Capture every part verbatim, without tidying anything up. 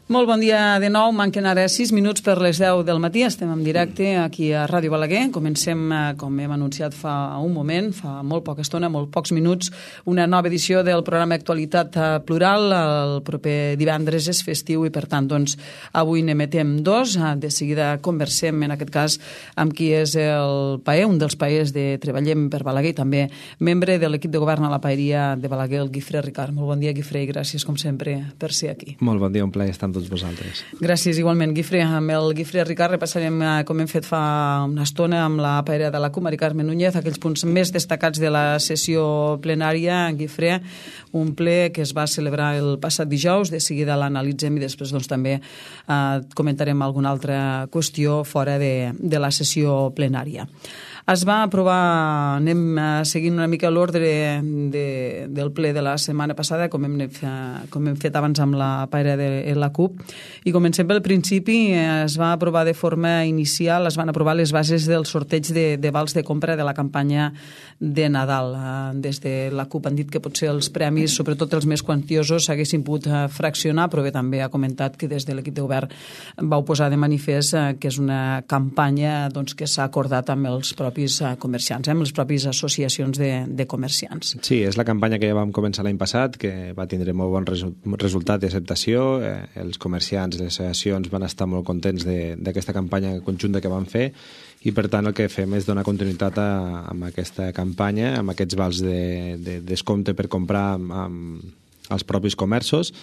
Molt bon dia de nou, manquen ara sis minuts per les deu del matí, estem en directe aquí a Ràdio Balaguer. Comencem, com hem anunciat fa un moment, fa molt poca estona, molt pocs minuts, una nova edició del programa Actualitat Plural. El proper divendres és festiu i, per tant, doncs, avui n'emetem dos. De seguida conversem, en aquest cas, amb qui és el paer, un dels paers de Treballem per Balaguer, i també membre de l'equip de govern a la paeria de Balaguer, el Guifré Ricard. Molt bon dia, Guifré, i gràcies, com sempre, per ser aquí. Molt bon dia, un plaer estar amb tots vosaltres. Gràcies, igualment, Guifré. Amb el Guifré Ricard repassarem, com hem fet fa una estona, amb la paera de la C U, Mari Carmen Núñez, aquells punts més destacats de la sessió plenària. Guifré, un ple que es va celebrar el passat dijous, de seguida l'analitzem i després doncs, també eh, comentarem alguna altra qüestió fora de, de la sessió plenària. Es va aprovar, anem seguint una mica l'ordre de, del ple de la setmana passada, com hem, com hem fet abans amb la paera de la C U P, i comencem pel principi. Es va aprovar de forma inicial, es van aprovar les bases del sorteig de, de vals de compra de la campanya de Nadal. Des de la C U P han dit que potser els premis, sobretot els més quantiosos, s'haguessin pogut fraccionar, però bé, també ha comentat que des de l'equip de govern vau posar de manifest que és una campanya doncs, que s'ha acordat amb els propis comerciants, eh, amb les pròpies associacions de, de comerciants. Sí, és la campanya que ja vam començar l'any passat, que va tindre molt bon resu resultat d'acceptació. Eh, els comerciants, les associacions van estar molt contents d'aquesta campanya conjunta que van fer, i per tant el que fem és donar continuïtat a, a aquesta campanya, amb aquests vals de, de descompte per comprar amb, amb els propis comerços.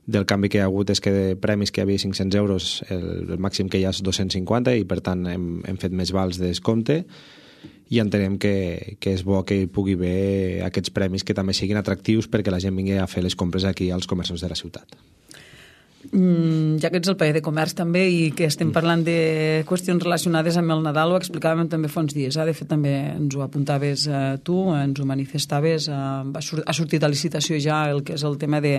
Del canvi que hi ha hagut és que de premis que hi havia cinc-cents euros, el, el màxim que hi ha és dos-cents cinquanta, i per tant hem, hem fet més vals de descompte, i entenem que, que és bo que hi pugui haver aquests premis que també siguin atractius perquè la gent vingui a fer les compres aquí als comerços de la ciutat. Mm, ja que ets el paer de comerç també i que estem parlant de qüestions relacionades amb el Nadal, ho explicàvem també fa uns dies, eh? De fet també ens ho apuntaves eh, tu, ens ho manifestaves, eh, ha sortit a licitació ja el que és el tema de,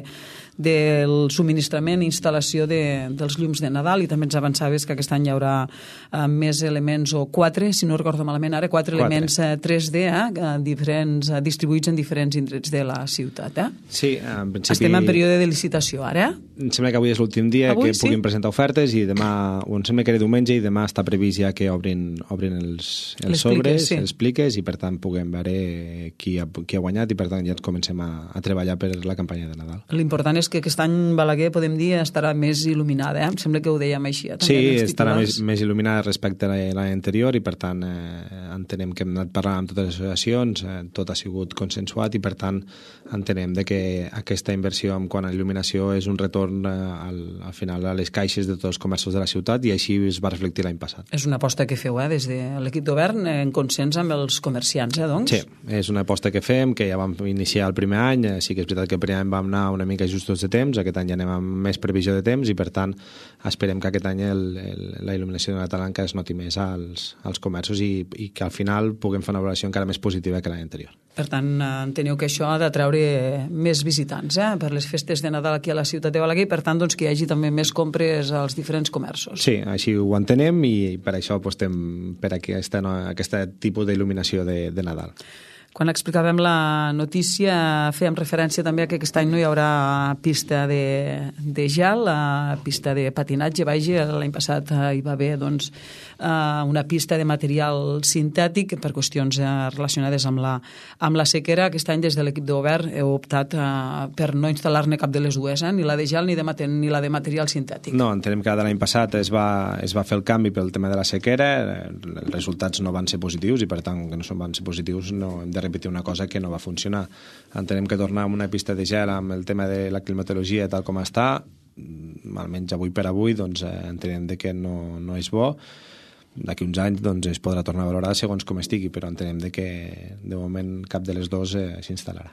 del subministrament i instal·lació de, dels llums de Nadal, i també ens avançaves que aquest any hi haurà eh, més elements, o quatre, si no recordo malament ara, quatre, quatre. elements eh, tres D eh, diferents, eh, distribuïts en diferents indrets de la ciutat. Eh? Sí, en principi... Estem en període de licitació ara. Em sembla que avui és l'últim dia avui, que sí? puguin presentar ofertes, i demà, o em sembla que era diumenge, i demà està previst ja que obrin, obrin els, els sobres, sí. els pliques, i per tant puguem veure qui ha, qui ha guanyat, i per tant ja ens comencem a, a treballar per la campanya de Nadal. L'important és que aquest any Balaguer, podem dir, estarà més il·luminada, eh? Em sembla que ho dèiem així. Eh? Sí, estarà més, més il·luminada respecte a l'any anterior, i per tant eh, entenem que hem anat parlant amb totes les associacions, eh, tot ha sigut consensuat, i per tant entenem de que aquesta inversió en quant a il·luminació és un retorn eh, al al final a les caixes de tots els comerços de la ciutat, i així es va reflectir l'any passat. És una aposta que feu eh, des de l'equip de govern en consens amb els comerciants, eh, doncs? Sí, és una aposta que fem, que ja vam iniciar el primer any. Sí que és veritat que el primer any vam anar una mica justos de temps, aquest any ja anem amb més previsió de temps, i per tant esperem que aquest any el, el, la il·luminació de Nadal es noti més als, als comerços, i, i que al final puguem fer una valoració encara més positiva que l'any anterior. Per tant, enteneu que això ha d'atraure més visitants eh, per les festes de Nadal aquí a la ciutat de Balaguer, i per tant doncs, que hi hagi també més compres als diferents comerços. Sí, així ho entenem, i per això apostem per aquesta, no, aquesta tipus d'il·luminació de, de Nadal. Quan explicàvem la notícia fèiem referència també a que aquest any no hi haurà pista de, de gel, la pista de patinatge, vaja, l'any passat hi va haver doncs, una pista de material sintètic per qüestions relacionades amb la, amb la sequera. Aquest any des de l'equip de govern heu optat per no instal·lar-ne cap de les dues, eh? ni la de gel ni, de, ni la de material sintètic. No, entenem que l'any passat es va, es va fer el canvi pel tema de la sequera, els resultats no van ser positius, i per tant que no van ser positius no hem de repetir una cosa que no va funcionar. Entenem que tornar a una pista de gel amb el tema de la climatologia tal com està, almenys avui per avui, doncs eh, entenem de que no, no és bo. D'aquí uns anys doncs, es podrà tornar a valorar segons com estigui, però entenem de que de moment cap de les dues eh, s'instal·larà.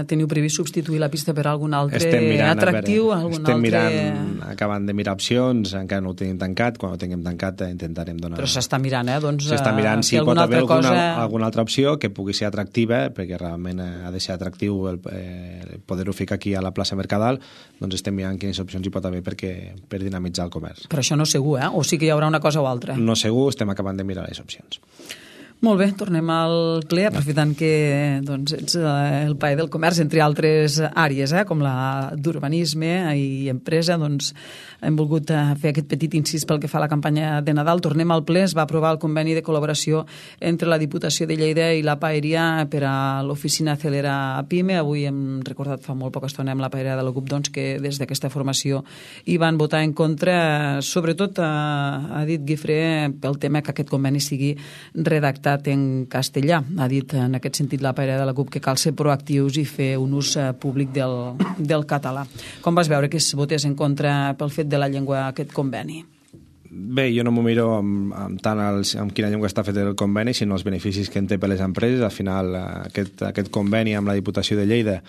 Teniu previst substituir la pista per algun altre mirant, atractiu? Veure, algun estem altre... mirant, acabant de mirar opcions, encara no ho tenim tancat, quan ho tinguem tancat intentarem donar... Però s'està mirant, eh? Doncs, s'està mirant si pot haver alguna, cosa... alguna altra opció que pugui ser atractiva, perquè realment ha de ser atractiu el, eh, poder-ho ficar aquí a la plaça Mercadal, doncs estem mirant quines opcions hi pot haver perquè, per dinamitzar el comerç. Però això no és segur, eh? O sí que hi haurà una cosa o altra? No segur, estem acabant de mirar les opcions. Molt bé, tornem al ple, aprofitant que doncs, ets el paer del comerç, entre altres àrees, eh, com la d'urbanisme i empresa, doncs hem volgut fer aquest petit incís pel que fa a la campanya de Nadal. Tornem al ple, es va aprovar el conveni de col·laboració entre la Diputació de Lleida i la Paeria per a l'oficina Celera PIME. Avui hem recordat fa molt poca estona amb la Paeria de la C U P doncs, que des d'aquesta formació hi van votar en contra. Sobretot, ha dit Guifré, pel tema que aquest conveni sigui redactat en castellà. Ha dit en aquest sentit la Paeria de la C U P que cal ser proactius i fer un ús públic del, del català. Com vas veure que es votés en contra pel fet de la llengua aquest conveni? Bé, jo no m'ho miro amb, amb tant els, amb quina llengua està fet el conveni, sinó els beneficis que en té per les empreses. Al final, aquest, aquest conveni amb la Diputació de Lleida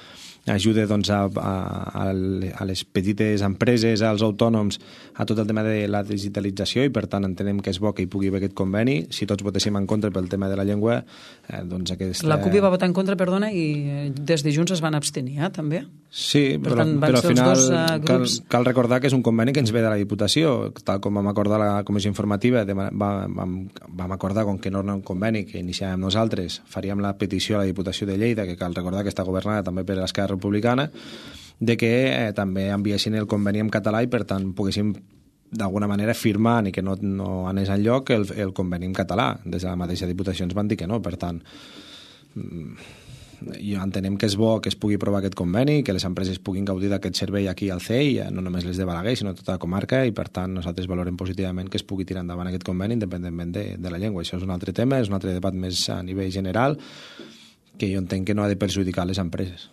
ajuda doncs, a, a, a les petites empreses, als autònoms, a tot el tema de la digitalització, i per tant entenem que és bo que hi pugui haver aquest conveni. Si tots votéssim en contra pel tema de la llengua, eh, doncs aquesta... La C U P va votar en contra, perdona, i des de Junts es van abstenir, eh, també? Sí, per però, tant, però al final dos, uh, cal, cal recordar que és un conveni que ens ve de la Diputació, tal com vam acordar la Comissió Informativa, de, vam, vam, vam acordar com que no era un conveni que iniciàvem nosaltres, faríem la petició a la Diputació de Lleida, que cal recordar que està governada també per l'Esquerra Republicana, de que eh, també enviessin el conveni en català i per tant poguéssim d'alguna manera firmar i que no, no anés enlloc el, el conveni en català. Des de la mateixa Diputació ens van dir que no, per tant jo entenem que és bo que es pugui aprovar aquest conveni, que les empreses puguin gaudir d'aquest servei aquí al C E I, no només les de Balaguer, sinó tota la comarca, i per tant nosaltres valorem positivament que es pugui tirar endavant aquest conveni independentment de, de la llengua. Això és un altre tema, és un altre debat més a nivell general que jo entenc que no ha de perjudicar les empreses.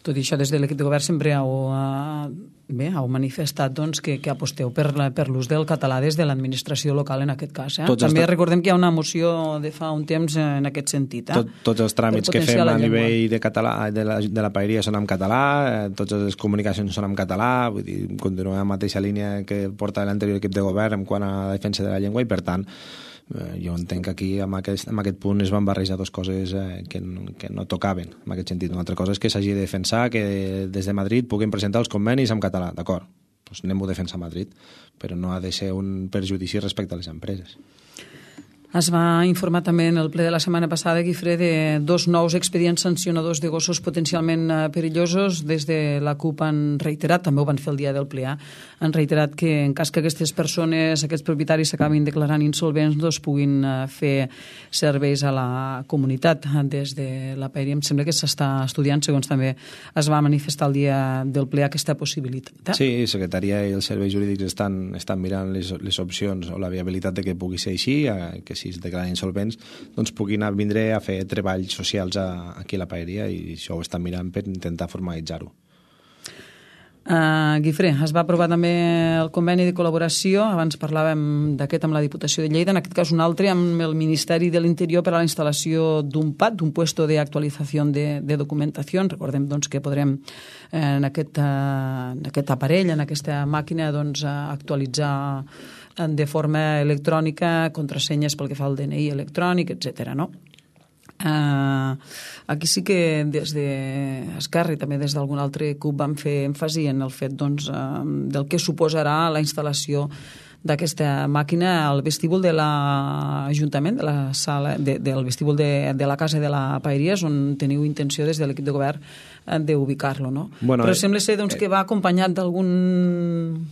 Tot i això, des de l'equip de govern sempre heu, uh, bé, heu manifestat doncs, que, que aposteu per, la, per l'ús del català des de l'administració local en aquest cas. Eh? També estat... recordem que hi ha una moció de fa un temps en aquest sentit. Eh? Tot, tots els tràmits que fem a nivell de, català, de, la, de la paeria són en català, eh, totes les comunicacions són en català, vull dir, continuem en la mateixa línia que porta l'anterior equip de govern en quant a la defensa de la llengua, i per tant Eh, jo entenc que aquí amb aquest, amb aquest punt es van barrejar dues coses eh, que, que no tocaven en aquest sentit. Una altra cosa és que s'hagi de defensar que des de Madrid puguin presentar els convenis en català, d'acord, doncs anem-ho a defensar a Madrid, però no ha de ser un perjudici respecte a les empreses. Es va informar també en el ple de la setmana passada, Guifré, de dos nous expedients sancionadors de gossos potencialment perillosos. Des de la C U P han reiterat, també ho van fer el dia del ple, han reiterat que en cas que aquestes persones, aquests propietaris s'acabin declarant insolvents, doncs puguin fer serveis a la comunitat des de la Paeria. Em sembla que s'està estudiant, segons també es va manifestar el dia del ple, aquesta possibilitat. Sí, la Secretaria i els serveis jurídics estan, estan mirant les, les opcions o la viabilitat de que pugui ser així, que si es declaren insolvents, doncs puguin vindre a fer treballs socials a, aquí a la Paeria, i això ho estan mirant per intentar formalitzar-ho. Uh, Guifré, es va aprovar també el conveni de col·laboració, abans parlàvem d'aquest amb la Diputació de Lleida, en aquest cas un altre amb el Ministeri de l'Interior per a la instal·lació d'un P A D, d'un puesto de actualització de, de documentació. Recordem doncs, que podrem eh, en, aquest, uh, en aquest aparell, en aquesta màquina, doncs, uh, actualitzar de forma electrònica contrasenyes pel que fa al D N I electrònic, etcètera, no? Uh, aquí sí que des d'Esquerra i també des d'algun altre C U P vam fer èmfasi en el fet doncs, uh, del que suposarà la instal·lació d'aquesta màquina al vestíbul de l'Ajuntament, de la sala, de, del vestíbul de, de la Casa de la Paeria, on teniu intenció des de l'equip de govern d'ubicar-lo, no? Bueno, però sembla ser doncs, eh, que va acompanyat d'algun...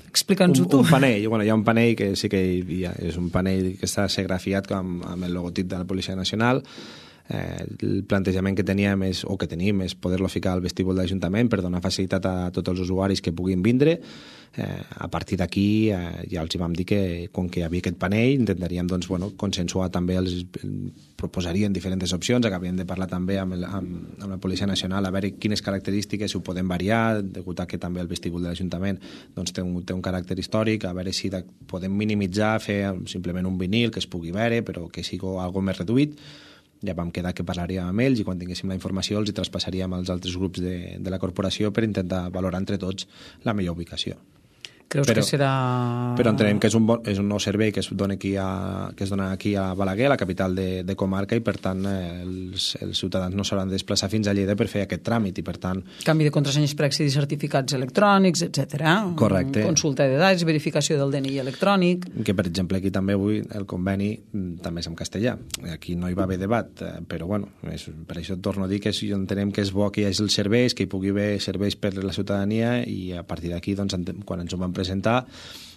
Explica'ns-ho tu. Un panell, bueno, hi ha un panell que sí que hi ha, és un panell que està segrafiat com, amb el logotip de la Policia Nacional. Eh, el plantejament que teníem és, o que tenim és poder-lo ficar al vestíbul de l'Ajuntament per donar facilitat a tots els usuaris que puguin vindre. Eh, a partir d'aquí eh, ja els vam dir que com que hi havia aquest panell intentaríem doncs, bueno, consensuar també els, proposarien diferents opcions, acabaríem de parlar també amb, el, amb, amb la Policia Nacional a veure quines característiques ho podem variar, degut a que també el vestíbul de l'Ajuntament doncs, té, un, té un caràcter històric, a veure si de, podem minimitzar, fer simplement un vinil que es pugui veure però que sigui algo més reduït. Ja vam quedar que parlaríem amb ells i quan tinguéssim la informació els hi traspassaríem als altres grups de, de la corporació per intentar valorar entre tots la millor ubicació. Creus però, que serà... Però entenem que és un, bon, és un nou servei que es dona aquí a, que es dona aquí a Balaguer, la capital de, de comarca, i per tant eh, els, els ciutadans no s'hauran de desplaçar fins a Lleida per fer aquest tràmit, i per tant... Canvi de contrasenyes per accedir a certificats electrònics, etcètera. Correcte. Consulta de dades, verificació del D N I electrònic... Que, per exemple, aquí també avui el conveni també és en castellà. Aquí no hi va haver debat, però bueno, és, per això torno a dir que és, entenem que és bo que hi hagi els serveis, que hi pugui haver serveis per la ciutadania, i a partir d'aquí, doncs, quan ens ho vam presentar,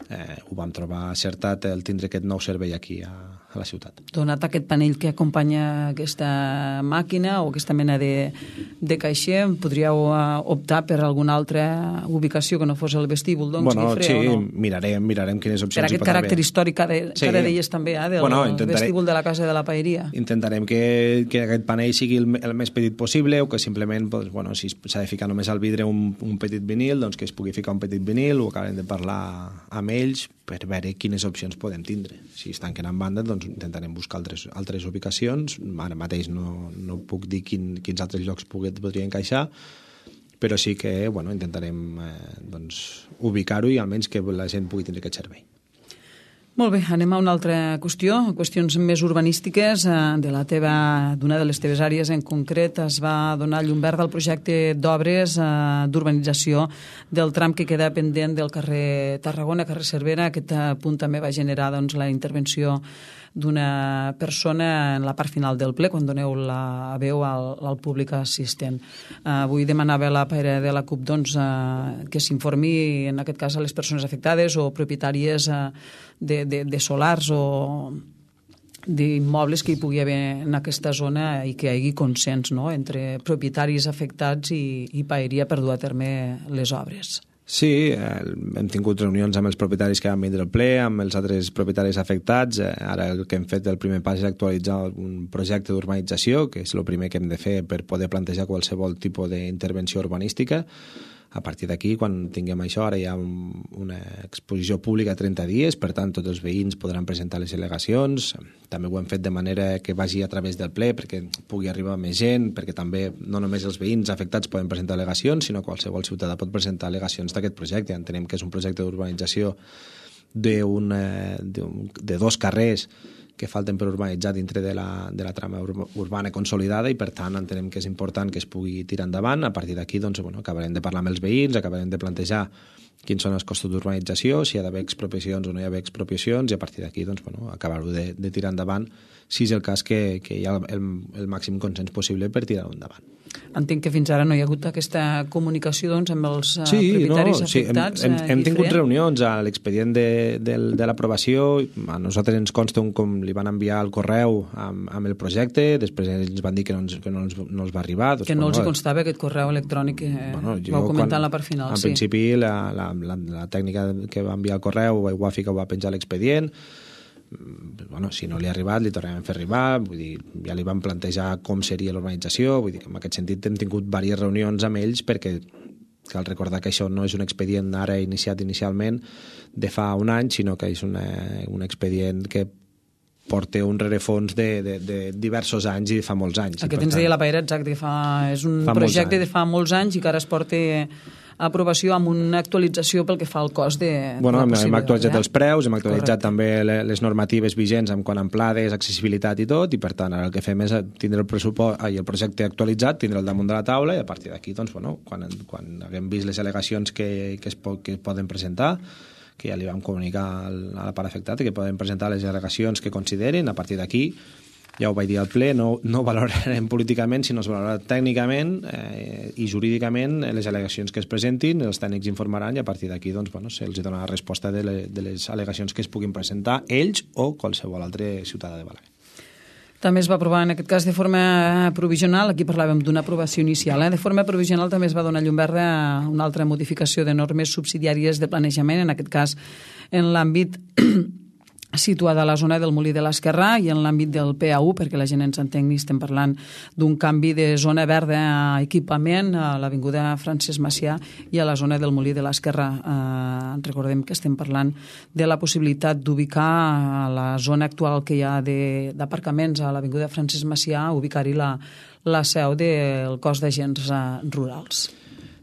eh, ho vam trobar acertat el tindre aquest nou servei aquí a, a la ciutat. Donat aquest panell que acompanya aquesta màquina o aquesta mena de, de caixer, podríeu uh, optar per alguna altra ubicació que no fos el vestíbul, doncs, bueno, Guifré, sí, o no? mirarem, mirarem quines opcions per aquest hi pot caràcter haver. històric que, de, Sí. que ara deies també, eh, del bueno, intentaré, vestíbul de la Casa de la Paeria. Intentarem que, que aquest panell sigui el, el més petit possible, o que simplement, doncs, bueno, si s'ha de ficar només al vidre un, un petit vinil, doncs que es pugui ficar un petit vinil, o acabem de parlar amb ells per veure quines opcions podem tindre. Si es tanquen en banda, doncs intentarem buscar altres, altres ubicacions. Ara mateix no, no puc dir quin, quins altres llocs podria encaixar, però sí que bueno, intentarem eh, doncs, ubicar-ho i almenys que la gent pugui tindre aquest servei. Molt bé, anem a una altra qüestió, qüestions més urbanístiques. De la teva, d'una de les teves àrees en concret es va donar llum verda al projecte d'obres d'urbanització del tram que queda pendent del carrer Tarragona, carrer Cervera. Aquest punt també va generar doncs, la intervenció d'una persona en la part final del ple, quan doneu la veu al, al públic assistent. Uh, avui demanava la paira de la CUP doncs, uh, que s'informi, en aquest cas, a les persones afectades o propietàries uh, de, de, de solars o d'immobles que hi pugui haver en aquesta zona i que hi hagi consens, no?, entre propietaris afectats i, i paeria per dur a terme les obres. Sí, eh, hem tingut reunions amb els propietaris que van vindre al ple, amb els altres propietaris afectats. Eh, ara el que hem fet el primer pas és actualitzar un projecte d'urbanització, que és el primer que hem de fer per poder plantejar qualsevol tipus d'intervenció urbanística. A partir d'aquí, quan tinguem això, ara hi ha un, una exposició pública a trenta dies, per tant, tots els veïns podran presentar les al·legacions. També ho hem fet de manera que vagi a través del ple, perquè pugui arribar més gent, perquè també no només els veïns afectats poden presentar al·legacions, sinó qualsevol ciutadà pot presentar al·legacions d'aquest projecte. Entenem que és un projecte d'urbanització de, de, de dos carrers que falten per urbanitzar dintre de la, de la trama urbana consolidada, i per tant entenem que és important que es pugui tirar endavant. A partir d'aquí doncs, bueno, acabarem de parlar amb els veïns, acabarem de plantejar quins són els costos d'urbanització, si hi ha d'haver expropiacions o no hi ha d'haver expropiacions, i a partir d'aquí doncs, bueno, acabar-ho de, de tirar endavant, si és el cas que, que hi ha el, el màxim consens possible per tirar-ho endavant. Entenc que fins ara no hi ha hagut aquesta comunicació doncs, amb els sí, propietaris no, afectats. Sí, hem, hem, hem tingut reunions a l'expedient de, de, de l'aprovació. A nosaltres ens consta un, com li van enviar el correu amb, amb el projecte, després ells van dir que no ens, que no ens, no els va arribar. Doncs, que no bueno, els hi constava aquest correu electrònic que bueno, vau comentar en la part final. En sí. principi la, la, la, la tècnica que va enviar el correu ho va ficar, ho va penjar a l'expedient. Bueno, si no li ha arribat, li tornem a fer arribar, vull dir, ja li vam plantejar com seria l'organització, vull dir que en aquest sentit hem tingut diverses reunions amb ells, perquè cal recordar que això no és un expedient ara iniciat inicialment de fa un any, sinó que és una, un expedient que porta un rerefons de, de, de diversos anys i de fa molts anys. Aquest ens deia la Paera, exacte, que fa, és un fa projecte de fa molts anys i que ara es porta a aprovació amb una actualització pel que fa al cost de, bueno, de la hem actualitzat eh? els preus, hem actualitzat Correcte. també les normatives vigents en quant a amplades, accessibilitat i tot, i per tant ara el que fem és tindre el pressupost i el projecte actualitzat, tindre el damunt de la taula, i a partir d'aquí, doncs, bueno, quan, quan haguem vist les al·legacions que, que, es, que poden presentar, que ja li vam comunicar a la part afectada que poden presentar les al·legacions que considerin, a partir d'aquí ja ho vaig dir al ple, no, no valorarem políticament, sinó es valorarà tècnicament eh, i jurídicament les al·legacions que es presentin, els tècnics informaran, i a partir d'aquí doncs, bueno, se'ls donarà resposta de, le, de les al·legacions que es puguin presentar ells o qualsevol altre ciutadà de Balaguer. També es va aprovar, en aquest cas, de forma provisional, aquí parlàvem d'una aprovació inicial, eh? de forma provisional també es va donar llum verda a una altra modificació de normes subsidiàries de planejament, en aquest cas en l'àmbit situada a la zona del Molí de l'Esquerrà i en l'àmbit del P A U, perquè la gent ens entengui, estem parlant d'un canvi de zona verda a equipament a l'avinguda Francesc Macià i a la zona del Molí de l'Esquerrà. Eh, recordem que estem parlant de la possibilitat d'ubicar a la zona actual que hi ha d'aparcaments a l'avinguda Francesc Macià, ubicar-hi la, la seu del cos d'agents rurals.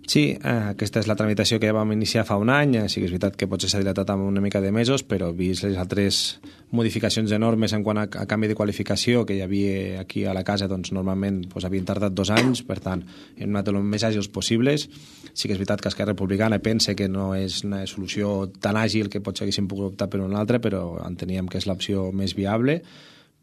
Sí, eh, aquesta és la tramitació que ja vam iniciar fa un any. Sí que és veritat que potser s'ha dilatat amb una mica de mesos, però vist les altres modificacions enormes en quant a, a canvi de qualificació que hi havia aquí a la casa, doncs normalment doncs, havien tardat dos anys, per tant, hem anat el més àgils possibles. Sí que és veritat que Esquerra Republicana pensa que no és una solució tan àgil que potser haguéssim pogut optar per una altra, però enteníem que és l'opció més viable,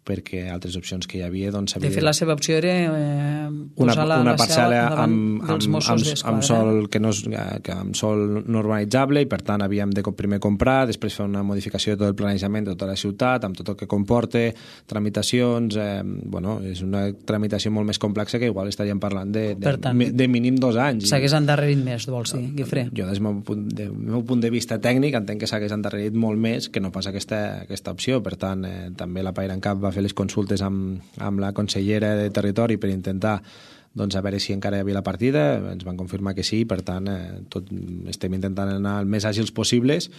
perquè altres opcions que hi havia... Doncs, de fet, la seva opció era eh, posar una, la, una la parcel·la davant amb, dels amb, Mossos amb, d'Esquadra. amb sol que no és, que amb sol no urbanitzable, i per tant havíem de primer comprar, després fer una modificació de tot el planejament de tota la ciutat, amb tot el que comporta, tramitacions... Eh, bueno, és una tramitació molt més complexa que igual estaríem parlant de, de, tant, de mínim dos anys. S'hagués endarrerit més, vols dir, Guifré? Jo, des del meu punt de, meu punt de vista tècnic, entenc que s'hagués endarrerit molt més que no pas aquesta, aquesta opció. Per tant, eh, també la PaireANCAP va fer les consultes amb amb, amb la consellera de Territori per intentar doncs, a veure si encara hi havia la partida. Ens van confirmar que sí, per tant eh, tot, estem intentant anar el més àgils possibles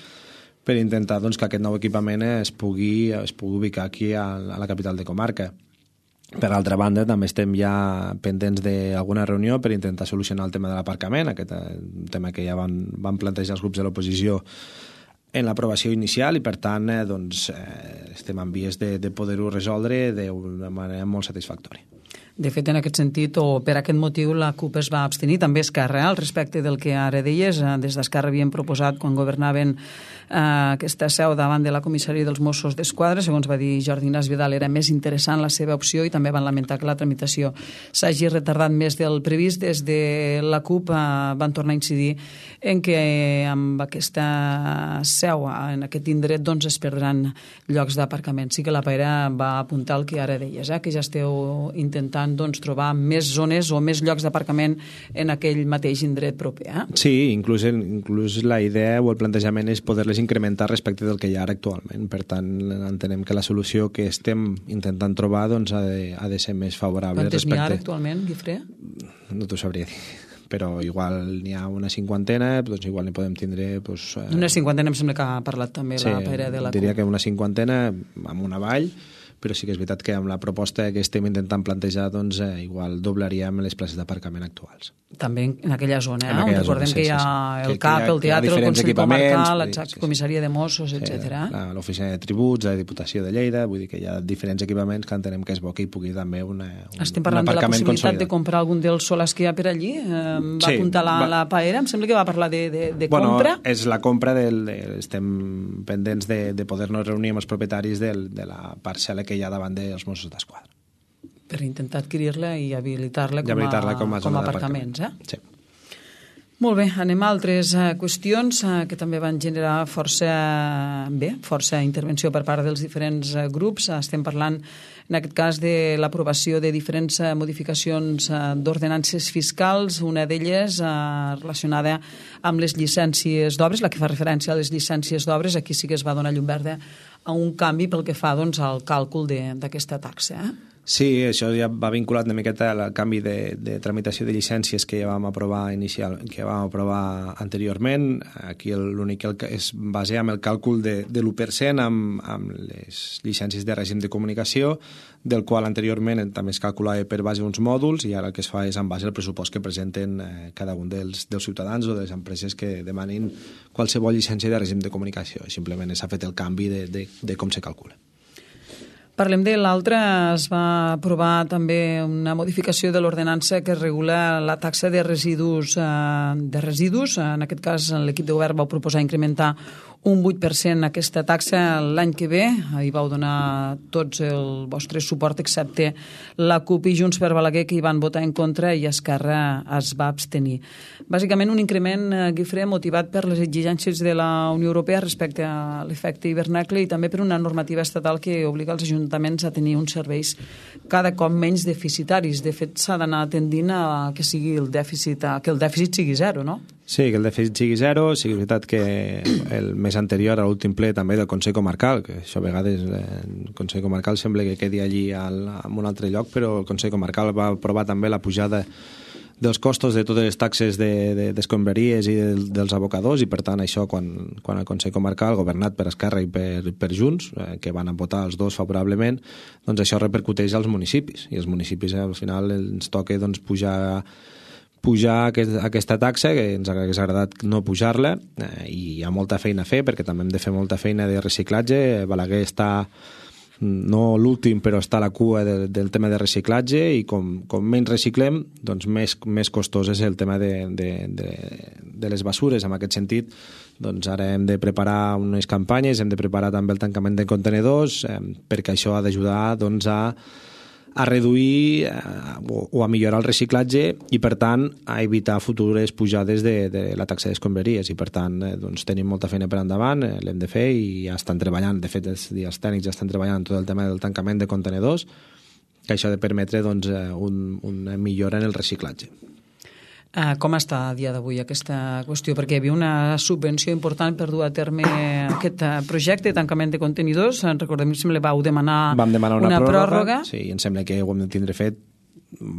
per intentar doncs, que aquest nou equipament es pugui, es pugui ubicar aquí a, a la capital de comarca. Per altra banda, també estem ja pendents d'alguna reunió per intentar solucionar el tema de l'aparcament, aquest tema que ja van, van plantejar els grups de l'oposició en l'aprovació inicial, i per tant eh, doncs, eh, estem en vies de, de poder-ho resoldre d'una manera molt satisfactòria. De fet, en aquest sentit, o per aquest motiu, la CUP es va abstenir, també Esquerra, al respecte del que ara deies. Des d'Esquerra havien proposat, quan governaven eh, aquesta seu davant de la comissaria dels Mossos d'Esquadra, segons va dir Jordi Ignasi Vidal, era més interessant la seva opció, i també van lamentar que la tramitació s'hagi retardat més del previst. Des de la CUP eh, van tornar a incidir en que amb aquesta seu, en aquest indret, doncs es perdran llocs d'aparcament. Sí que la Paira va apuntar el que ara deies, eh, que ja esteu intentant doncs, trobar més zones o més llocs d'aparcament en aquell mateix indret proper. Eh? Sí, inclús, inclús la idea o el plantejament és poder-les incrementar respecte del que hi ha ara actualment. Per tant, entenem que la solució que estem intentant trobar doncs, ha, de, ha de ser més favorable. Quantes respecte... n'hi ha ara actualment, Guifré? No t'ho sabria dir, però igual n'hi ha una cinquantena, doncs igual n'hi podem tindre... Doncs, eh... Una cinquantena em sembla que ha parlat també sí, la Paira de la CUP. Diria que una cinquantena amb una vall, però sí que és veritat que amb la proposta que estem intentant plantejar, doncs, eh, igual doblaríem les places d'aparcament actuals. També en aquella zona, en eh? aquella on recordem zona, sí, que hi ha sí, sí. el C A P, el teatre, el Consell Comarcal, la sí, sí. comissaria de Mossos, sí, etcètera. L'oficina de tributs, la Diputació de Lleida, vull dir que hi ha diferents equipaments que entenem que és bo que hi pugui també una, un, Estem parlant un de la aparcament possibilitat consolidat. de comprar algun dels solars que hi ha per allí. Eh, va Sí, apuntar la, va- la Paera, em sembla que va parlar de, de, de Bueno, compra. és la compra del... De, estem pendents de, de poder-nos reunir amb els propietaris del, de la parcel·la que hi ha davant dels Mossos d'Esquadra. Per intentar adquirir-la i habilitar-la I com, habilitar-la com a com zona a aparcaments. Eh? Sí. Molt bé, anem a altres uh, qüestions uh, que també van generar força, bé, força intervenció per part dels diferents uh, grups. Uh, estem parlant, en aquest cas, de l'aprovació de diferents uh, modificacions uh, d'ordenances fiscals, una d'elles uh, relacionada amb les llicències d'obres, la que fa referència a les llicències d'obres. Aquí sí que es va donar llum verda a un canvi pel que fa doncs, al càlcul d'aquesta taxa. Eh? Sí, això ja va vinculat una miqueta al canvi de, de tramitació de llicències que ja vam aprovar inicial, que vam aprovar anteriorment. Aquí l'únic que es basa en el càlcul de, de l'u per cent amb, amb les llicències de règim de comunicació, del qual anteriorment també es calculava per base uns mòduls, i ara el que es fa és en base al pressupost que presenten eh, cada un dels, dels ciutadans o de les empreses que demanin qualsevol llicència de règim de comunicació. Simplement s'ha fet el canvi de, de, de com se calcula. Parlem de l'altre. Es va aprovar també una modificació de l'ordenança que regula la taxa de residus. Eh, de residus. En aquest cas, l'equip de govern va proposar incrementar un vuit per cent aquesta taxa l'any que ve. Hi vau donar tots el vostre suport, excepte la CUP i Junts per Balaguer, que hi van votar en contra, i Esquerra es va abstenir. Bàsicament, un increment, eh, Guifré, motivat per les exigències de la Unió Europea respecte a l'efecte hivernacle i també per una normativa estatal que obliga els ajuntaments a tenir uns serveis cada cop menys deficitaris. De fet, s'ha d'anar tendint a que sigui el dèficit, a que el dèficit sigui zero, no? Sí, que el dèficit sigui zero. Sí que és veritat que el mes anterior a l'últim ple també del Consell Comarcal, que això a vegades eh, el Consell Comarcal sembla que quedi allí al, en un altre lloc, però el Consell Comarcal va aprovar també la pujada dels costos de totes les taxes de, de, d'escombraries i de, dels abocadors, i per tant això quan, quan el Consell Comarcal, governat per Esquerra i per, per Junts, eh, que van votar els dos favorablement, doncs això repercuteix als municipis, i els municipis eh, al final ens toca doncs, pujar pujar aquest, aquesta taxa, que ens hagués agradat no pujar-la, eh, i hi ha molta feina a fer, perquè també hem de fer molta feina de reciclatge. Balaguer està, no l'últim, però està a la cua de, del tema de reciclatge, i com, com menys reciclem, doncs més, més costós és el tema de, de, de, de les basures. En aquest sentit, doncs ara hem de preparar unes campanyes, hem de preparar també el tancament de contenidors, eh, perquè això ha d'ajudar doncs, a a reduir eh, o, o a millorar el reciclatge, i per tant a evitar futures pujades de, de la taxa d'escombraries, i per tant eh, doncs, tenim molta feina per endavant, eh, l'hem de fer, i ja estan treballant, de fet els, els tècnics ja estan treballant en tot el tema del tancament de contenidors, que això ha de permetre doncs, un, una millora en el reciclatge. Uh, com està a dia d'avui aquesta qüestió? Perquè hi havia una subvenció important per dur a terme aquest uh, projecte de tancament de contenidors. Recordem que vau demanar, Vam demanar una, una pròrroga. pròrroga. Sí, i em sembla que ho hem de tindre fet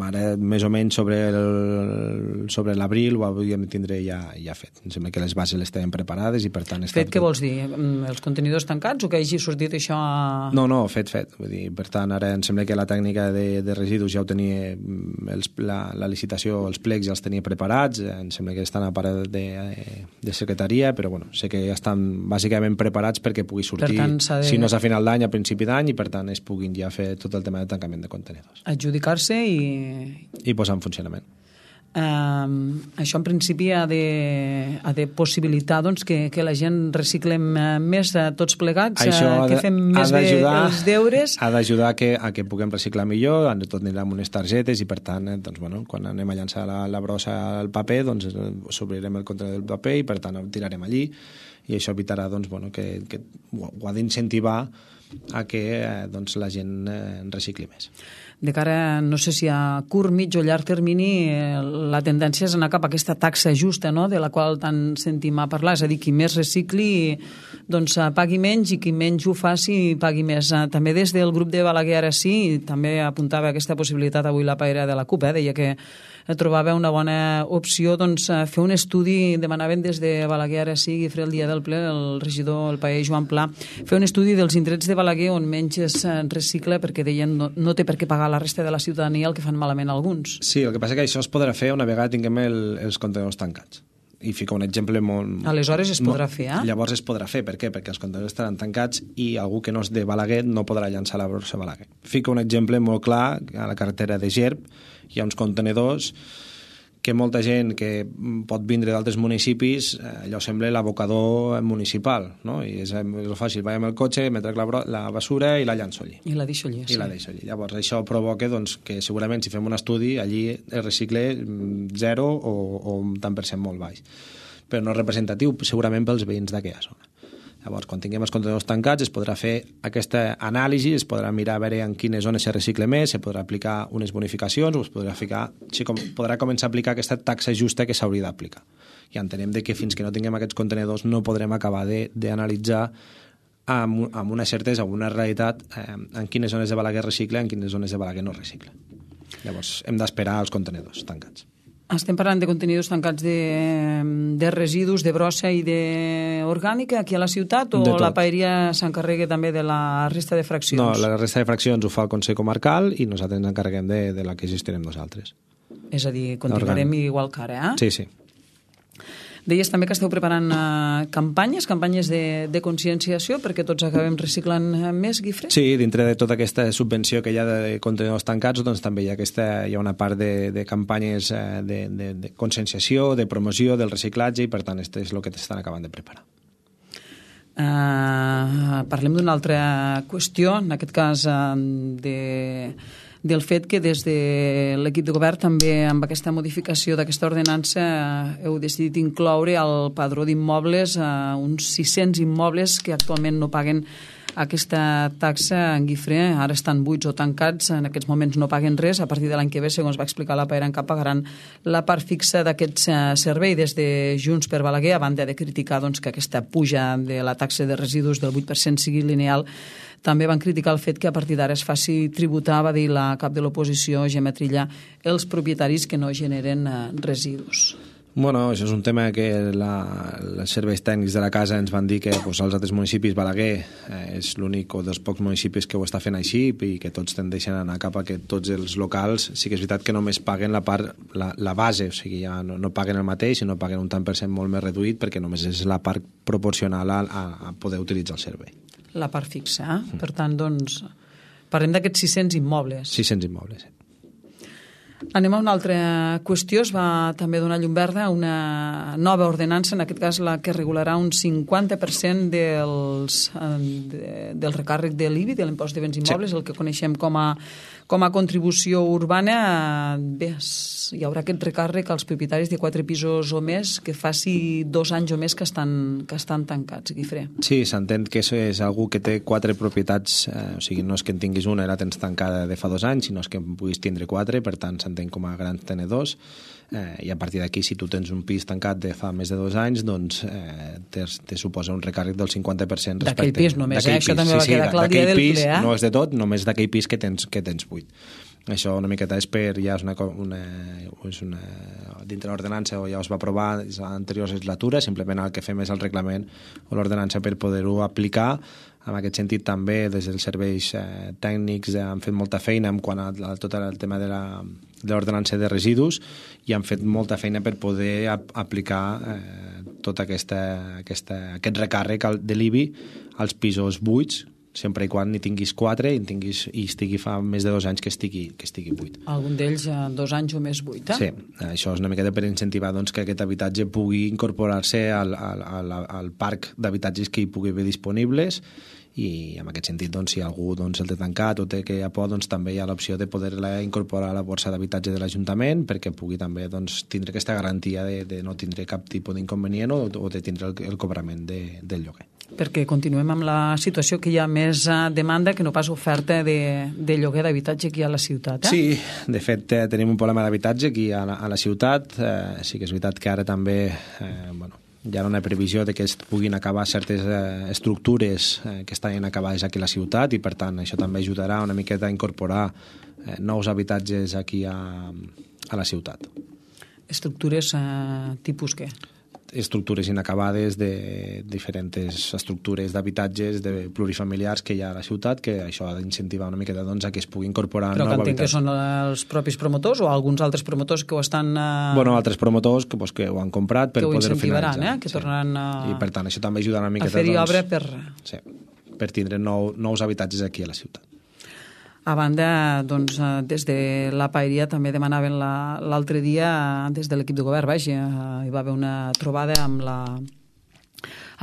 ara més o menys sobre el, sobre l'abril ho hauríem de tindre ja, ja fet. Em sembla que les bases les tenen preparades i per tant... Fet, què vols dir? Els contenidors tancats o que hagi sortit això a... No, no, fet, fet. Vull dir, per tant, ara em sembla que la tècnica de, de residus ja ho tenia, els, la, la licitació, els plecs ja els tenia preparats, em sembla que estan a part de, de secretaria, però bueno, sé que ja estan bàsicament preparats perquè pugui sortir, tant, de... si no és a final d'any, a principi d'any, i per tant es puguin ja fer tot el tema de tancament de contenidors. Adjudicar-se i i posar en funcionament. Um, això en principi ha de, ha de possibilitar doncs, que, que la gent reciclem més uh, tots plegats, uh, que fem més bé els deures. Ha d'ajudar que, a que puguem reciclar millor, tot anirà amb unes targetes i per tant, eh, doncs, bueno, quan anem a llançar la, la brossa al paper, doncs s'obrirem el contenidor del paper i per tant el tirarem allí, i això evitarà doncs, bueno, que, que ho, ho ha d'incentivar a que eh, doncs, la gent eh, recicli més. De cara, no sé si a curt, mig o llarg termini, eh, la tendència és anar cap a aquesta taxa justa, no?, de la qual tant sentim a parlar, és a dir, qui més recicli doncs pagui menys i qui menys ho faci pagui més. També des del grup de Balaguer ara sí, també apuntava aquesta possibilitat avui la paella de la CUP, eh, deia que trobava una bona opció doncs, fer un estudi, demanaven des de Balaguer ara sí, Guifré, el dia del ple, el regidor, el paella Joan Pla, fer un estudi dels indrets de Balaguer on menys es recicla, perquè deien no, no té per què pagar la resta de la ciutadania el que fan malament alguns. Sí, el que passa és que això es podrà fer una vegada tinguem el, els contenidors tancats. I fica un exemple molt... Aleshores es podrà fer, eh? Llavors es podrà fer. Per què? Perquè els contenidors estaran tancats i algú que no és de Balaguer no podrà llançar la brossa a Balaguer. Fica un exemple molt clar, a la carretera de Gerb hi ha uns contenidors que molta gent que pot vindre d'altres municipis, allò sembla l'abocador municipal, no? I és, és fàcil, vaig amb el cotxe, me trec la, la basura i la llanço allí. I la deixo allí, sí. I la deixo allí. Llavors això provoca doncs, que segurament si fem un estudi allí el recicle zero o, o un tant per cent molt baix. Però no és representatiu segurament pels veïns d'aquella zona. Llavors, quan tinguem els contenidors tancats, es podrà fer aquesta anàlisi, es podrà mirar a veure en quines zones se recicle més, se podrà aplicar unes bonificacions, o es podrà, ficar, sí, com, podrà començar a aplicar aquesta taxa justa que s'hauria d'aplicar. I entenem de que fins que no tinguem aquests contenidors no podrem acabar d'analitzar amb, amb una certesa, amb una realitat, eh, en quines zones de Balaguer recicle, en quines zones de Balaguer no recicle. Llavors, hem d'esperar els contenidors tancats. Estem parlant de contenidors tancats de, de residus, de brossa i d'orgànica aquí a la ciutat, o la paeria s'encarrega també de la resta de fraccions? No, la resta de fraccions ho fa el Consell Comarcal i nosaltres ens encarreguem de, de la que gestionem nosaltres. És a dir, continuarem igual que ara, eh? Sí, sí. Deies també que esteu preparant uh, campanyes, campanyes de, de conscienciació perquè tots acabem reciclant més, Guifré? Sí, dintre de tota aquesta subvenció que hi ha de contenidors tancats, doncs també hi ha, aquesta, hi ha una part de, de campanyes uh, de, de, de conscienciació, de promoció del reciclatge, i per tant, això és el que estan acabant de preparar. Uh, parlem d'una altra qüestió, en aquest cas uh, de... del fet que des de l'equip de govern també amb aquesta modificació d'aquesta ordenança heu decidit incloure al padró d'immobles eh, uns sis-cents immobles que actualment no paguen aquesta taxa en Guifré, ara estan buits o tancats, en aquests moments no paguen res, a partir de l'any que ve, segons va explicar la Paeranca, pagaran la part fixa d'aquest servei. Des de Junts per Balaguer, a banda de criticar doncs, que aquesta puja de la taxa de residus del vuit per cent sigui lineal, també van criticar el fet que a partir d'ara es faci tributar, va dir la cap de l'oposició, Gemma Trilla, els propietaris que no generen residus. Bueno, això és un tema que la, els serveis tècnics de la casa ens van dir que pues, als altres municipis, Balaguer eh, és l'únic o dels pocs municipis que ho està fent així i que tots tendeixen a anar cap a que tots els locals, sí que és veritat que només paguen la part, la, la base, o sigui, ja no, no paguen el mateix, sinó paguen un tant per cent molt més reduït perquè només és la part proporcional a, a, a poder utilitzar el servei. La part fixa, eh? Mm. Per tant, doncs, parlem d'aquests sis-cents immobles. sis-cents immobles, sí. Anem a una altra qüestió. Es va també donar llum verda a una nova ordenança, en aquest cas la que regularà un cinquanta per cent dels, de, del recàrrec de l'I B I, de l'impost de béns immobles, sí. El que coneixem com a, com a contribució urbana. Bé, hi haurà aquest recàrrec als propietaris de quatre pisos o més que faci dos anys o més que estan, que estan tancats, Guifré. Sí, s'entén que això és algú que té quatre propietats, eh, o sigui, no és que en tinguis una i la tens tancada de fa dos anys, sinó és que en puguis tindre quatre, per tant s'entén com a grans tenedors, eh, i a partir d'aquí, si tu tens un pis tancat de fa més de dos anys, doncs eh, te, te suposa un recàrrec del cinquanta per cent respecte... D'aquell pis només, eh? Això també va sí, quedar clar el dia del pis, ple, eh? No és de tot, només d'aquell pis que tens, que tens buit. Això una miqueta és per, ja és una, una, és una dintre l'ordenança o ja es va aprovar en l'anterior legislatura, simplement el que fem és el reglament o l'ordenança per poder-ho aplicar. En aquest sentit també des dels serveis eh, tècnics eh, han fet molta feina en quant a, a tot el tema de l'ordenança de, de residus i han fet molta feina per poder ap aplicar eh, tot aquesta, aquesta, aquest recàrrec de l'I B I als pisos buits, sempre i quan n'hi tinguis quatre i, tinguis, i estigui fa més de dos anys que estigui, que estigui buit. Algun d'ells eh, dos anys o més buit, eh? Sí, això és una miqueta per incentivar doncs, que aquest habitatge pugui incorporar-se al, al, al, al parc d'habitatges que hi pugui haver disponibles i en aquest sentit, doncs, si algú doncs, el té tancat o té que ja pot, doncs, també hi ha l'opció de poder-la incorporar a la borsa d'habitatge de l'Ajuntament perquè pugui també doncs, tindre aquesta garantia de, de no tindre cap tipus d'inconvenient o, o de tindre el, el cobrament de, del lloguer. Perquè continuem amb la situació que hi ha més demanda que no pas oferta de, de lloguer d'habitatge aquí a la ciutat, eh? Sí, de fet eh, tenim un problema d'habitatge aquí a la, a la ciutat, eh, sí que és veritat que ara també eh, bueno, hi ha una previsió de que es puguin acabar certes eh, estructures eh, que estan acabades aquí a la ciutat i per tant això també ajudarà una miqueta a incorporar eh, nous habitatges aquí a, a la ciutat. Estructures eh, tipus què? Estructures inacabades de diferents estructures d'habitatges de plurifamiliars que hi ha a la ciutat, que això ha d'incentivar una miqueta doncs, a que es pugui incorporar Però nou que entenc habitatge. que són els propis promotors o alguns altres promotors que ho estan... Eh... Bueno, altres promotors que, pues, que ho han comprat per poder-ho finalitzar. Eh? Que sí. tornaran a... I per tant això també ajudarà una miqueta a fer-hi doncs, obra per... Sí, per tindre nou, nous habitatges aquí a la ciutat. A banda, doncs, des de la Paeria també demanaven l'altre la, dia, des de l'equip de govern, vaja, hi va haver una trobada amb la,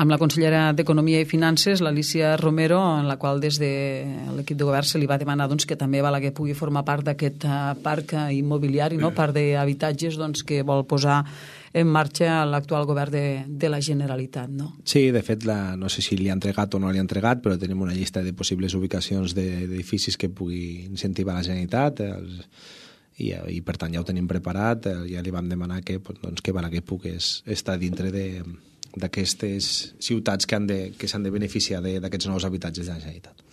amb la consellera d'Economia i Finances, l'Alicia Romero, en la qual des de l'equip de govern se li va demanar doncs, que també Balaguer pugui formar part d'aquest parc immobiliari, no? Part d'habitatges doncs, que vol posar en marxa l'actual govern de, de la Generalitat, no? Sí, de fet, la, no sé si li ha entregat o no li ha entregat, però tenim una llista de possibles ubicacions d'edificis que pugui incentivar la Generalitat els, i, i per tant ja ho tenim preparat, ja li vam demanar que, doncs, que Balaguer pogués estar dintre de d'aquestes ciutats que han de, que s'han de beneficiar d'aquests nous habitatges de la Generalitat.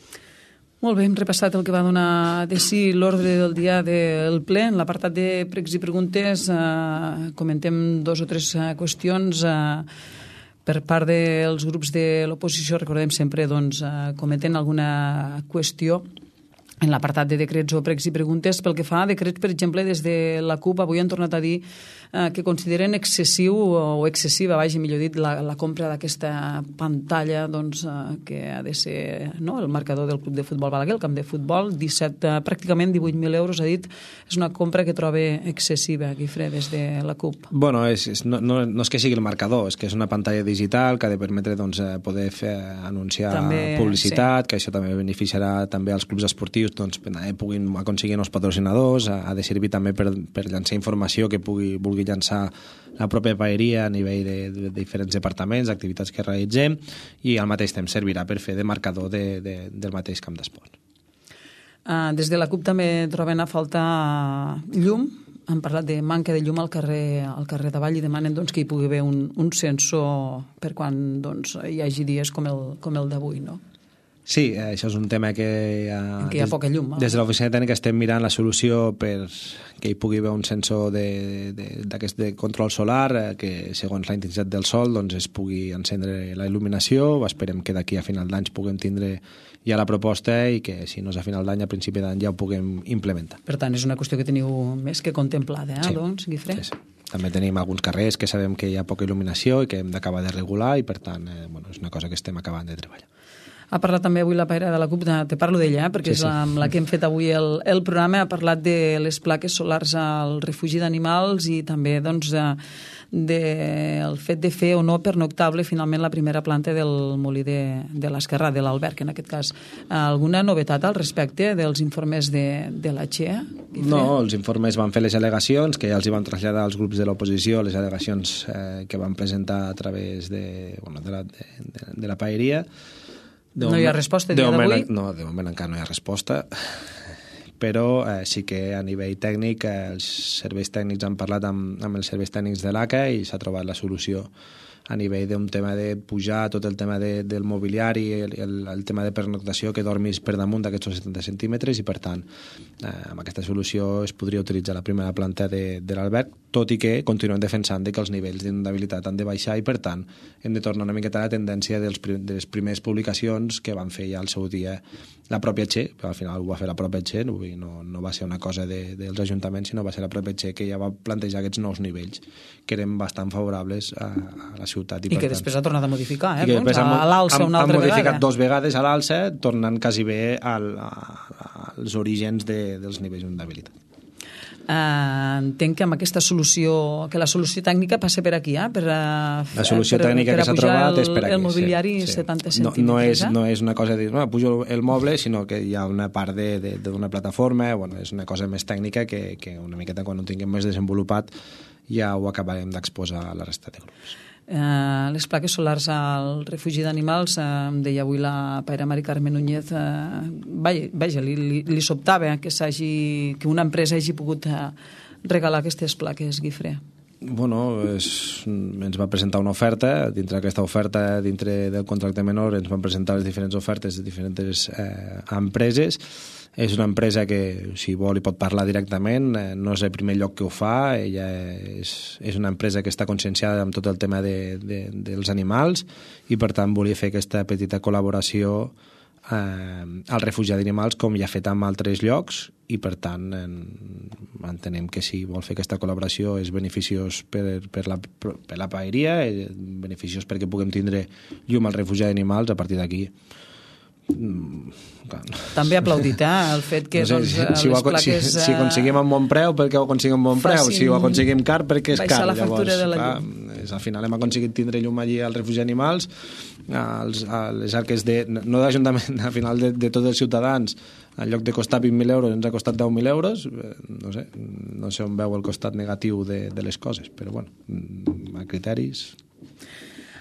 Molt bé, hem repassat el que va donar de si l'ordre del dia del ple. En l'apartat de pregs i preguntes eh, comentem dos o tres eh, qüestions eh, per part dels grups de l'oposició. Recordem sempre, doncs, eh, comenten alguna qüestió en l'apartat de decrets o pregs i preguntes. Pel que fa a decrets, per exemple, des de la CUP avui han tornat a dir eh, que consideren excessiu o excessiva, vaja, millor dit, la, la compra d'aquesta pantalla doncs, eh, que ha de ser no, el marcador del club de futbol Balaguer, el camp de futbol, disset, eh, pràcticament divuit mil euros, ha dit, és una compra que troba excessiva, Guifré, des de la CUP. Bueno, és, és, no, no, no és que sigui el marcador, és que és una pantalla digital que ha de permetre doncs, poder fer, anunciar també, publicitat, sí. Que això també beneficiarà també als clubs esportius doncs, puguin aconseguir nous patrocinadors, ha de servir també per, per llançar informació que pugui, vulgui llançar la pròpia paeria a nivell de, de diferents departaments, activitats que realitzem, i al mateix temps servirà per fer de marcador de, de, del mateix camp d'esport. Uh, des de la CUP també troben a faltar llum. Han parlat de manca de llum al carrer, al carrer Davall i demanen doncs, que hi pugui haver un, un sensor per quan doncs, hi hagi dies com el, com el d'avui, no? Sí, això és un tema que... Uh, que hi ha poca llum. Des de l'oficina tècnica estem mirant la solució per que hi pugui haver un sensor de, de, d'aquest de control solar eh, que, segons la intensitat del sol, doncs es pugui encendre la il·luminació. Esperem que d'aquí a final d'any puguem tindre ja la proposta i que, si no és a final d'any, a principi d'any ja ho puguem implementar. Per tant, és una qüestió que teniu més que contemplada, eh, sí. doncs, Guifré? Sí, sí. També tenim alguns carrers que sabem que hi ha poca il·luminació i que hem d'acabar de regular i, per tant, eh, bueno, és una cosa que estem acabant de treballar. Ha parlat també avui la paira de la CUP, te parlo d'ella, eh, perquè sí, sí. és la, amb la que hem fet avui el, el programa. Ha parlat de les plaques solars al refugi d'animals i també doncs, de, de, el fet de fer o no pernoctable finalment la primera planta del molí de, de l'Esquerrà, de l'Alberg, en aquest cas. Alguna novetat al respecte dels informes de, de la Che? No, els informes van fer les al·legacions, que ja els hi van traslladar als grups de l'oposició, les al·legacions eh, que van presentar a través de, bueno, de, la, de, de, de la paeria. De no hi ha resposta el dia d'avui? No, de moment encara no hi ha resposta, però eh, sí que a nivell tècnic eh, els serveis tècnics han parlat amb, amb els serveis tècnics de l'A C A i s'ha trobat la solució a nivell d'un tema de pujar tot el tema de, del mobiliari, el, el, el tema de pernoctació, que dormis per damunt d'aquests setanta centímetres i, per tant, eh, amb aquesta solució es podria utilitzar la primera planta de, de l'alberg, tot i que continuem defensant que els nivells d'inundabilitat han de baixar i, per tant, hem de tornar una miqueta a la tendència dels, de les primeres publicacions que van fer ja al seu dia la pròpia Che, al final ho va fer la pròpia Che, no, no va ser una cosa de, dels ajuntaments, sinó va ser la pròpia Che que ja va plantejar aquests nous nivells, que eren bastant favorables a, a la ciutat. I, I que tant, després ha tornat a modificar, eh? Doncs, a, a l'alça una altra vegada. Han modificat dos vegades a l'alça, tornant quasi bé al, a, als orígens de, dels nivells d'inundabilitat. Uh, entenc que amb aquesta solució, que la solució tècnica passa per aquí, eh? per, uh, la solució per, tècnica per que s'ha trobat el, és per aquí. El mobiliari sí, sí. setanta centímetres. No, no, és, eh? no és una cosa de dir, no, pujo el moble, sinó que hi ha una part d'una plataforma, bueno, és una cosa més tècnica que, que una miqueta quan ho tinguem més desenvolupat ja ho acabarem d'exposar a la resta de grups. Uh, les plaques solars al refugi d'animals, uh, em deia avui la paira Mari Carme Núñez, uh, vaja, vaja li, li, li sobtava que, que una empresa hagi pogut uh, regalar aquestes plaques, Guifré. Bueno, és, ens va presentar una oferta, dintre d'aquesta oferta, dintre del contracte menor, ens van presentar les diferents ofertes de diferents eh, empreses. És una empresa que, si vol, hi pot parlar directament, eh, no és el primer lloc que ho fa, ella és, és una empresa que està conscienciada amb tot el tema de, de, dels animals i, per tant, volia fer aquesta petita col·laboració eh, al refugi d'animals, com ja ha fet en altres llocs, i, per tant, en, entenem que si vol fer aquesta col·laboració és beneficiós per, per, la, per la paeria, beneficiós perquè puguem tindre llum al refugi d'animals. A partir d'aquí també ha aplaudit eh, el fet que no sé, doncs, si, les si, plaques si, si aconseguim un bon preu, perquè ho aconseguim un bon preu, si ho aconseguim car, perquè és car. La factura Llavors, de la clar, llum. És, al final hem aconseguit tindre llum allí al refugi d'animals, als, a les arques de, no d'Ajuntament, al final de, de tots els ciutadans, en lloc de costar vint mil euros ens ha costat deu mil euros. No sé, no sé on veu el costat negatiu de, de les coses, però bueno, a criteris.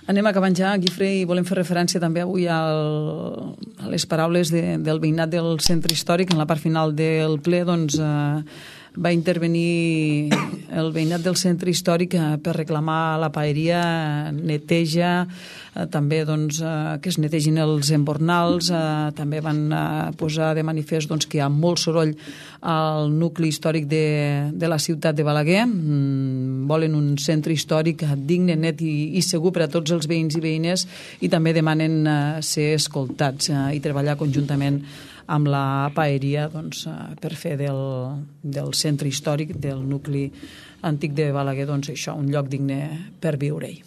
Anem acabant ja, Guifré, i volem fer referència també avui al, a les paraules de, del veïnat del centre històric. En la part final del ple doncs, eh, va intervenir el veïnat del centre històric eh, per reclamar la paeria, neteja, eh, també doncs, eh, que es netegin els embornals, eh, també van eh, posar de manifest doncs, que hi ha molt soroll al nucli històric de, de la ciutat de Balaguer. Mm, volen un centre històric digne, net i, i segur per a tots els veïns i veïnes, i també demanen eh, ser escoltats eh, i treballar conjuntament amb la paeria doncs, per fer del, del centre històric, del nucli antic de Balaguer, doncs això, un lloc digne per viure-hi.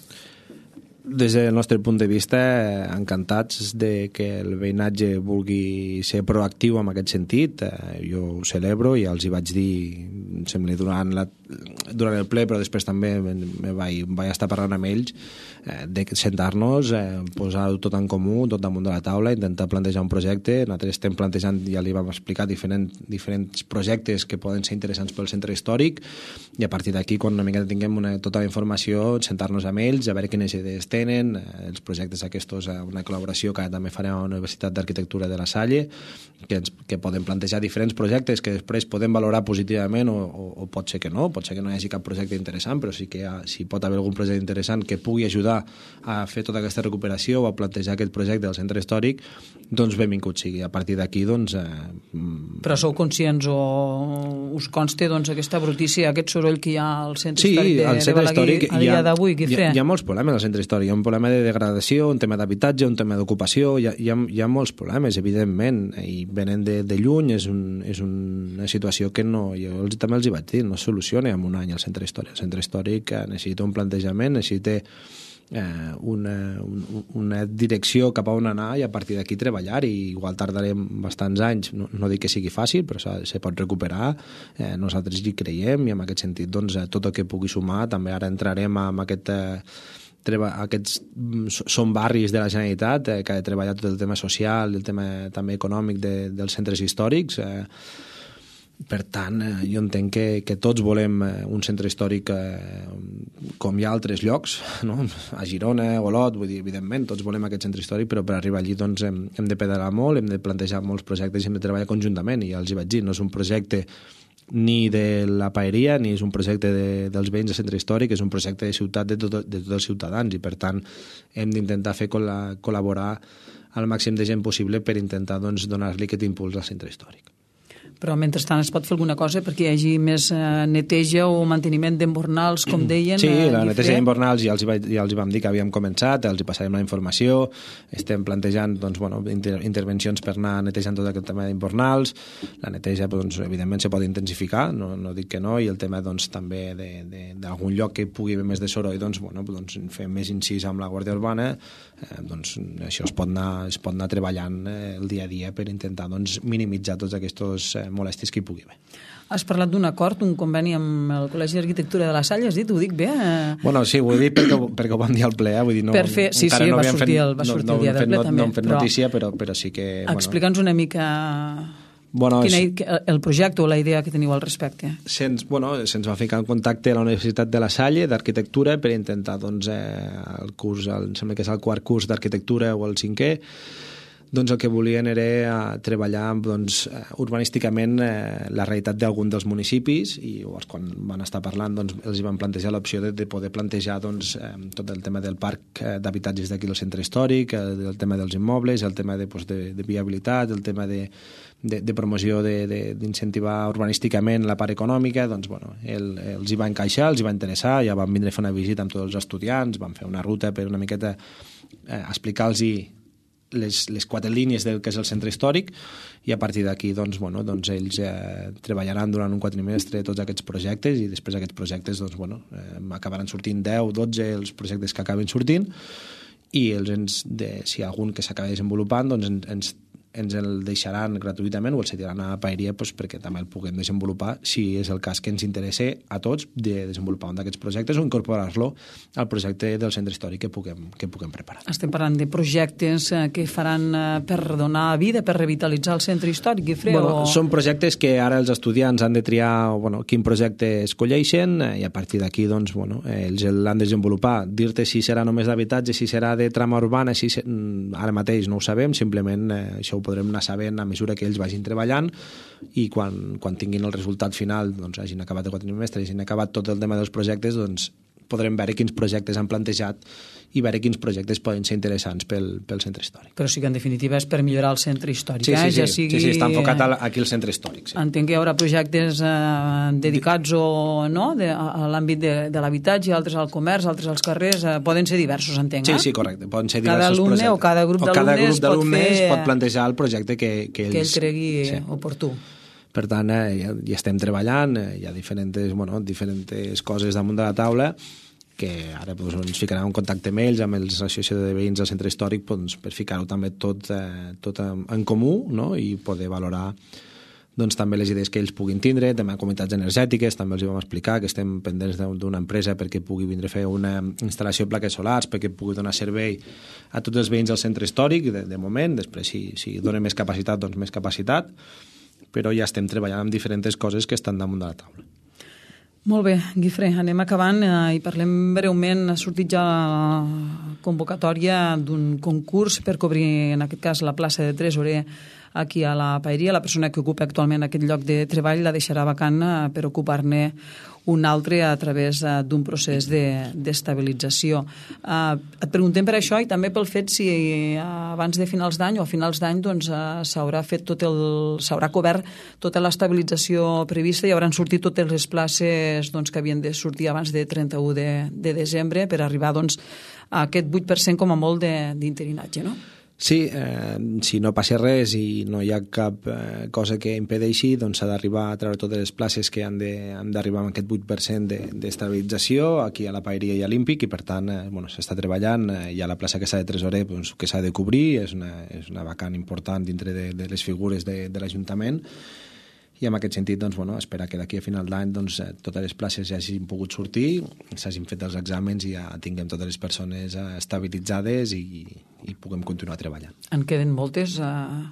Des del nostre punt de vista, encantats de que el veïnatge vulgui ser proactiu en aquest sentit. Jo ho celebro, ja els hi vaig dir, em sembla, durant, la, durant el ple, però després també me vaig, vaig estar parlant amb ells, de sentar-nos, posar-ho tot en comú, tot damunt de la taula, intentar plantejar un projecte. Nosaltres estem plantejant, ja li vam explicar, diferents, diferents projectes que poden ser interessants pel centre històric, i a partir d'aquí, quan una mica tinguem una, tota la informació, sentar-nos amb ells, a veure quines idees tenen, els projectes aquests, una col·laboració que també farem a la Universitat d'Arquitectura de la Salle, que, ens, que poden plantejar diferents projectes que després podem valorar positivament o, o, o pot ser que no, pot ser que no hi hagi cap projecte interessant, però sí que hi, ha, si pot haver algun projecte interessant que pugui ajudar a fer tota aquesta recuperació o a plantejar aquest projecte del centre històric, doncs benvingut sigui. A partir d'aquí, doncs... Eh, però sou conscients o us consta doncs, aquesta brutícia, aquest soroll que hi ha al centre sí, històric de, de Balaguer a dia d'avui, Guifré? Hi, hi ha molts problemes al centre històric. Hi ha un problema de degradació, un tema d'habitatge, un tema d'ocupació, hi, hi, ha, hi ha molts problemes, evidentment, i venen de, de lluny, és, un, és una situació que no, jo els, també els hi vaig dir, no es soluciona en un any el centre històric. El centre històric necessita un plantejament, necessita Eh, una, un, una direcció cap a on anar i a partir d'aquí treballar, i igual tardarem bastants anys, no, no dic que sigui fàcil, però se pot recuperar, eh, nosaltres hi creiem, i en aquest sentit doncs, tot el que pugui sumar. També ara entrarem amb aquest eh, treba, aquests són barris de la Generalitat eh, que ha de treballar tot el tema social, el tema també econòmic de, dels centres històrics. eh, Per tant, eh, jo entenc que, que tots volem eh, un centre històric eh, com hi ha altres llocs, no? A Girona, a Olot, vull dir, evidentment, tots volem aquest centre històric, però per arribar allí doncs, hem, hem de pedalar molt, hem de plantejar molts projectes i hem de treballar conjuntament, i ja els hi vaig dir, no és un projecte ni de la paeria, ni és un projecte de, dels veïns del centre històric, és un projecte de ciutat de, tot, de tots els ciutadans, i per tant hem d'intentar fer col·laborar al màxim de gent possible per intentar doncs, donar-li aquest impuls al centre històric. Però mentrestant es pot fer alguna cosa perquè hi hagi més eh, neteja o manteniment d'embornals, com deien? Sí, eh, la neteja d'embornals ja els, hi, ja els hi vam dir que havíem començat, els hi passarem la informació, estem plantejant doncs, bueno, inter intervencions per anar netejant tot aquest tema d'embornals, la neteja doncs, evidentment se pot intensificar, no, no dic que no, i el tema doncs, també d'algun lloc que pugui haver més de soroll, doncs, bueno, doncs, fem més incís amb la Guàrdia Urbana, eh, doncs això es pot anar, es pot anar treballant eh, el dia a dia per intentar doncs, minimitzar tots aquests eh, molèsties que hi pugui haver. Has parlat d'un acord, un conveni amb el Col·legi d'Arquitectura de la Salle, has dit? Ho dic bé? Eh? Bueno, sí, ho he dit perquè, perquè ho vam dir al ple, eh? Vull dir, no, per fer, sí, sí, no va sortir, el, va sortir no, el dia del ple no, també. No hem fet notícia, però, però sí que... Explica'ns una mica bueno, quina, és, el projecte o la idea que teniu al respecte. Se'ns bueno, se va ficar en contacte a la Universitat de la Salle d'Arquitectura per intentar, doncs, eh, el curs, el, em sembla que és el quart curs d'Arquitectura o el cinquè, doncs el que volien era treballar doncs, urbanísticament eh, la realitat d'algun dels municipis, i llavors quan van estar parlant doncs, els van plantejar l'opció de, de poder plantejar doncs, eh, tot el tema del parc eh, d'habitatges d'aquí del centre històric, el, el tema dels immobles, el tema de, pues, de, de viabilitat, el tema de, de, de promoció d'incentivar urbanísticament la part econòmica. Doncs, bueno, el, els hi va encaixar, els hi va interessar, ja van vindre a fer una visita amb tots els estudiants, van fer una ruta per una miqueta eh, explicar-los-hi Les, les quatre línies del que és el centre històric, i a partir d'aquí doncs, bueno, doncs ells eh, treballaran durant un quadrimestre tots aquests projectes, i després aquests projectes doncs, bueno, eh, acabaran sortint deu, dotze els projectes que acabin sortint, i els ens, de, si hi ha algun que s'acabi desenvolupant doncs ens, ens ens el deixaran gratuïtament o el cediran a la paeria doncs, perquè també el puguem desenvolupar, si és el cas que ens interessa a tots, de desenvolupar un d'aquests projectes o incorporar-lo al projecte del centre històric que puguem, que puguem preparar. Estem parlant de projectes que faran per donar vida, per revitalitzar el centre històric, Guifré? Bueno, o... Són projectes que ara els estudiants han de triar bueno, quin projecte escolleixen, i a partir d'aquí doncs, bueno, ells l'han de desenvolupar. Dir-te si serà només d'habitatge, si serà de trama urbana, si ser... ara mateix no ho sabem, simplement eh, això ho podrem anar sabent a mesura que ells vagin treballant, i quan, quan tinguin el resultat final, doncs hagin acabat el quadrimestre, hagin acabat tot el tema dels projectes, doncs podrem veure quins projectes han plantejat i veure quins projectes poden ser interessants pel, pel centre històric. Però sí que en definitiva és per millorar el centre històric. Sí, sí, eh? sí, ja sigui... sí, sí, està enfocat aquí al centre històric. Sí. Entenc que hi haurà projectes eh, dedicats o, no? de, a, a l'àmbit de, de l'habitatge, altres al comerç, altres als carrers, eh, poden ser diversos, entenc, eh? Sí, sí, correcte. Poden ser cada diversos alumne projectes. O cada grup d'alumnes pot, fer... pot plantejar el projecte que, que, ells... que ell cregui sí. oportú. Per tant, eh, ja, ja estem treballant, eh, hi ha diferents, bueno, diferents coses damunt de la taula que ara doncs, ens ficarem en contacte amb ells, amb els associacions de veïns del centre històric, doncs, per ficar-ho també tot, eh, tot en comú, no? I poder valorar doncs, també les idees que ells puguin tindre, també comunitats energètiques, també els hi vam explicar que estem pendents d'una empresa perquè pugui vindre a fer una instal·lació de plaques solars, perquè pugui donar servei a tots els veïns del centre històric, de, de moment, després si, si dona més capacitat, doncs més capacitat, però ja estem treballant amb diferents coses que estan damunt de la taula. Molt bé, Guifré, anem acabant eh, i parlem breument. Ha sortit ja la convocatòria d'un concurs per cobrir, en aquest cas, la plaça de tresorer aquí a la paeria. La persona que ocupa actualment aquest lloc de treball la deixarà vacant per ocupar-ne un altre a través d'un procés d'estabilització. Et preguntem per això i també pel fet si abans de finals d'any o a finals d'any s'haurà fet tot el s'haurà cobert tota l'estabilització prevista i hauran sortit totes les places que havien de sortir abans de trenta-u de desembre per arribar a aquest vuit per cent com a molt d'interinatge, no? Sí, eh, si no passa res i no hi ha cap eh, cosa que impedeixi, doncs s'ha d'arribar a treure totes les places que han d'arribar amb aquest vuit per cent d'estabilització aquí a la paeria i a l'Ímpic, i per tant eh, bueno, s'està treballant. Eh, hi ha la plaça que s'ha de tresorer doncs, que s'ha de cobrir, és una, és una vacant important dintre de, de les figures de, de l'Ajuntament, i en aquest sentit doncs, bueno, esperar que d'aquí a final d'any doncs, totes les places ja hagin pogut sortir, s'hagin fet els exàmens i ja tinguem totes les persones estabilitzades i, i puguem continuar treballant. En queden moltes uh,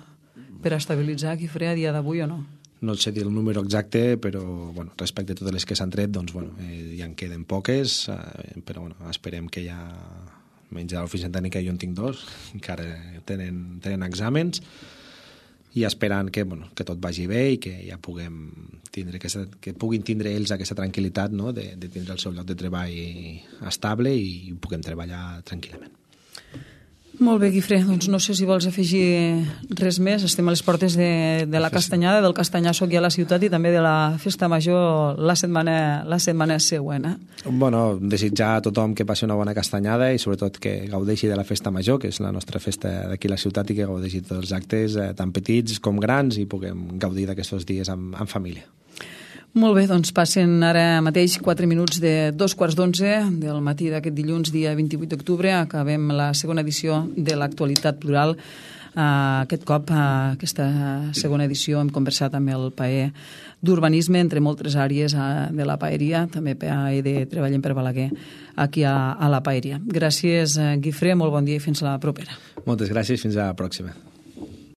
per estabilitzar Guifré a dia d'avui o no? No sé dir el número exacte, però bueno, respecte a totes les que s'han tret, doncs, bueno, eh, ja en queden poques, eh, però bueno, esperem que ja, menys a l'oficina tècnica jo en tinc dos, encara tenen, tenen exàmens, i esperant que, bueno, que tot vagi bé i que ja puguem tindre aquesta, que puguin tindre ells aquesta tranquil·litat, no? de, de tindre el seu lloc de treball estable i puguem treballar tranquil·lament. Molt bé, Guifré, doncs no sé si vols afegir res més. Estem a les portes de, de la Castanyada, del Castanyàsso aquí a la ciutat i també de la Festa Major la setmana, la setmana següent. Eh? Bueno, desitjar a tothom que passi una bona castanyada i sobretot que gaudeixi de la Festa Major, que és la nostra festa d'aquí a la ciutat, i que gaudeixi tots els actes, eh, tan petits com grans, i puguem gaudir d'aquests dies amb, amb família. Molt bé, doncs passen ara mateix quatre minuts de dos quarts d'onze del matí d'aquest dilluns, dia vint-i-vuit d'octubre. Acabem la segona edició de l'Actualitat Plural. Uh, aquest cop, uh, aquesta segona edició, hem conversat amb el paer d'urbanisme, entre moltes àrees uh, de la paeria, també paer de Treballem per Balaguer, aquí a, a la paeria. Gràcies, uh, Guifré, molt bon dia i fins la propera. Moltes gràcies, fins a la pròxima.